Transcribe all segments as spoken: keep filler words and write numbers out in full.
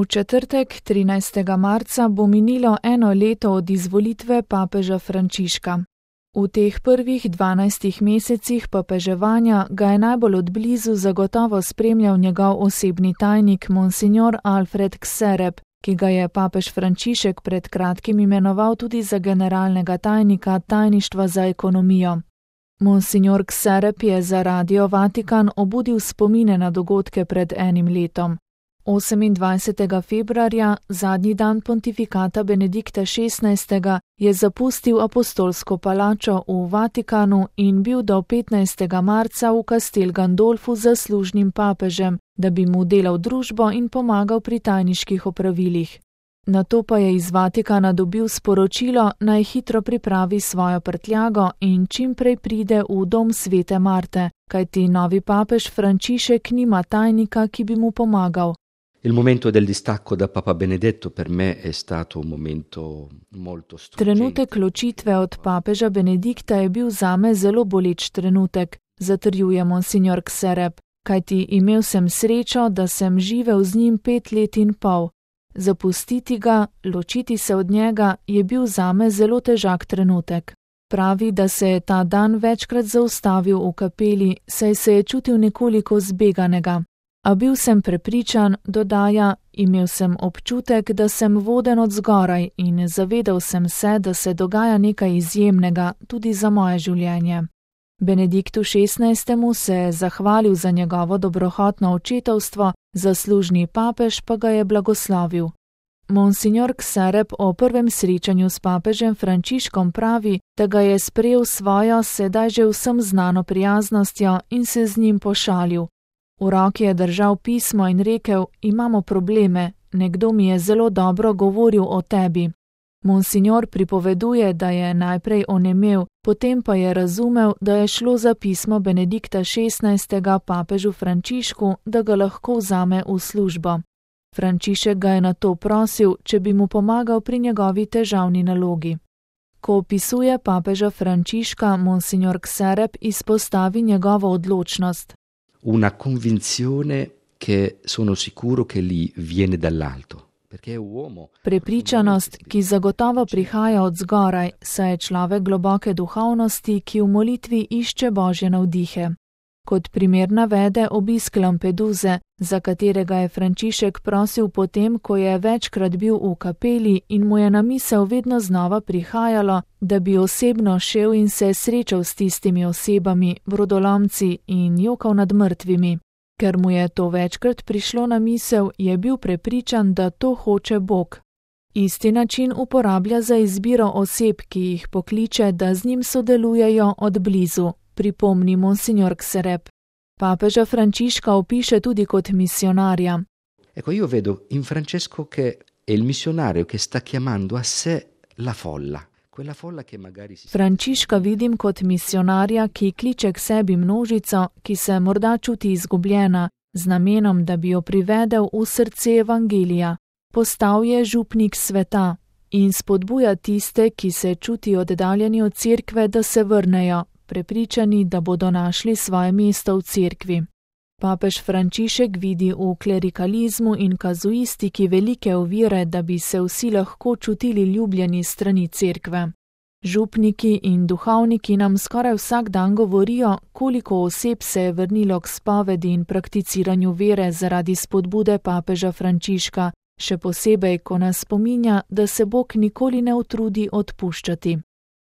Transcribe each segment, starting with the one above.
V četrtek, trinajstega marca, bo minilo eno leto od izvolitve papeža Frančiška. V teh prvih dvanajstih mesecih papeževanja ga je najbolj od blizu zagotovo spremljal njegov osebni tajnik monsignor Alfred Kserep, ki ga je papež Frančišek pred kratkim imenoval tudi za generalnega tajnika tajništva za ekonomijo. Monsignor Kserep je za Radio Vatikan obudil spomine na dogodke pred enim letom. osemindvajsetega februarja, zadnji dan pontifikata Benedikta šestnajstega, je zapustil apostolsko palačo v Vatikanu in bil do petnajstega marca v Castel Gandolfu zaslužnim papežem, da bi mu delal družbo in pomagal pri tajniških opravilih. Nato pa je iz Vatikana dobil sporočilo, naj hitro pripravi svojo prtljago in čim prej pride v dom svete Marte, kajti novi papež Frančišek nima tajnika, ki bi mu pomagal. Il momento del distacco da Papa Benedetto per me è stato un momento molto struggente. Trenutek ločitve od papeža Benedikta je bil zame zelo boleč trenutek, zatrjuje monsignor Kserep, kajti imel sem srečo, da sem živel z njim pet let in pol. Zapustiti ga, ločiti se od njega, je bil zame zelo težak trenutek. Pravi, da se je ta dan večkrat zaustavil v kapeli, saj se je čutil nekoliko zbeganega. A bil sem prepričan, dodaja, imel sem občutek, da sem voden od zgoraj in zavedal sem se, da se dogaja nekaj izjemnega tudi za moje življenje. Benediktu šestnajstemu se je zahvalil za njegovo dobrohotno očetovstvo, zaslužni papež pa ga je blagoslovil. Monsignor Kserep o prvem srečanju s papežem Frančiškom pravi, da ga je sprejel svojo sedaj že vsem znano prijaznostjo in se z njim pošalil. V roki je držal pismo in rekel, imamo probleme, nekdo mi je zelo dobro govoril o tebi. Monsignor pripoveduje, da je najprej onemel, potem pa je razumel, da je šlo za pismo Benedikta šestnajstega papežu Frančišku, da ga lahko vzame v službo. Frančišek ga je nato prosil, če bi mu pomagal pri njegovi težavni nalogi. Ko opisuje papeža Frančiška, monsignor Kserep izpostavi njegovo odločnost. Una convinzione che sono sicuro che gli viene dall'alto. Prepričanost, ki zagotovo prihaja od zgoraj, saj je človek globoke duhovnosti, ki v molitvi išče božje navdihe. Kot primer navede obisk Lampeduze, za katerega je Frančišek prosil potem, ko je večkrat bil v kapeli in mu je na misel vedno znova prihajalo, da bi osebno šel in se srečal s tistimi osebami, brodolomci in jokal nad mrtvimi. Ker mu je to večkrat prišlo na misel, je bil prepričan, da to hoče Bog. Isti način uporablja za izbiro oseb, ki jih pokliče, da z njim sodelujejo od blizu, pripomni monsignor Kserep. Papeža Frančiška opiše tudi kot misionarja. Ecco, io vedo in Francesco che è il missionario che sta chiamando a sé la folla. Frančiška vidim kot misionarja, ki kliče k sebi množico, ki se morda čuti izgubljena, z namenom, da bi jo privedel v srce evangelija. Postal je župnik sveta in spodbuja tiste, ki se čutijo oddaljeni od cerkve, da se vrnejo, prepričani, da bodo našli svoje mesto v cerkvi. Papež Frančišek vidi v klerikalizmu in kazuistiki velike ovire, da bi se vsi lahko čutili ljubljeni strani cerkve. Župniki in duhovniki nam skoraj vsak dan govorijo, koliko oseb se je vrnilo k spovedi in prakticiranju vere zaradi spodbude papeža Frančiška, še posebej, ko nas spominja, da se Bog nikoli ne utrudi odpuščati.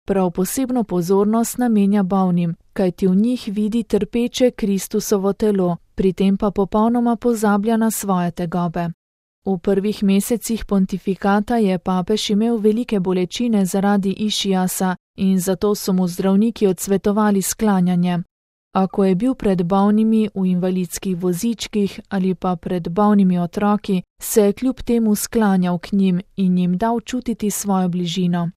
Prav posebno pozornost namenja bolnim, kajti v njih vidi trpeče Kristusovo telo, pri tem pa popolnoma pozablja na svoje tegobe. V prvih mesecih pontifikata je papež imel velike bolečine zaradi išiasa in zato so mu zdravniki odsvetovali sklanjanje. A ko je bil pred bolnimi v invalidskih vozičkih ali pa pred bolnimi otroki, se je kljub temu sklanjal k njim in jim dal čutiti svojo bližino.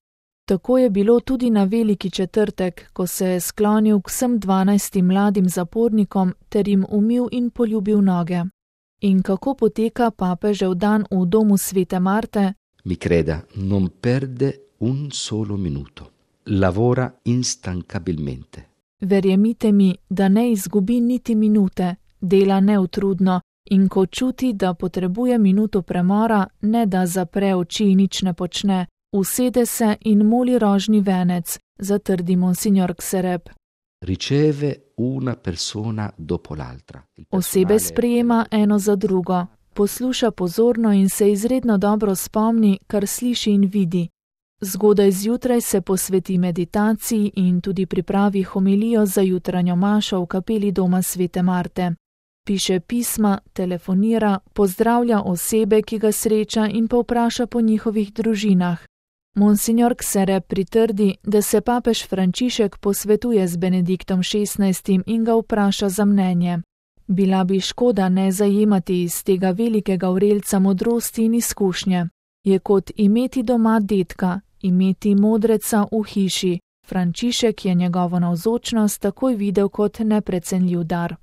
Tako je bilo tudi na veliki četrtek, ko se je sklonil k vsem dvanajstim mladim zapornikom ter jim umil in poljubil noge. In kako poteka papežev dan v domu svete Marte? Mi creda, non perde un solo minuto. Lavora instancabilmente. Verjemite mi, da ne izgubi niti minute, dela neutrudno In ko čuti, da potrebuje minuto premora, ne da zapre oči in nič ne počne, usede se in moli rožni venec, zatrdi monsignor Kserep. Riceve una persona dopo l'altra. Osebe sprejema eno za drugo, posluša pozorno in se izredno dobro spomni, kar sliši in vidi. Zgodaj zjutraj se posveti meditaciji in tudi pripravi homilijo za jutranjo mašo v kapeli doma svete Marte. Piše pisma, telefonira, pozdravlja osebe, ki ga sreča in povpraša po njihovih družinah. Monsignor Kserep pritrdi, da se papež Frančišek posvetuje z Benediktom šestnajstim in ga vpraša za mnenje. Bila bi škoda ne zajemati iz tega velikega vrelca modrosti in izkušnje. Je kot imeti doma dedka, imeti modreca v hiši. Frančišek je njegovo navzočnost takoj videl kot neprecenljiv dar.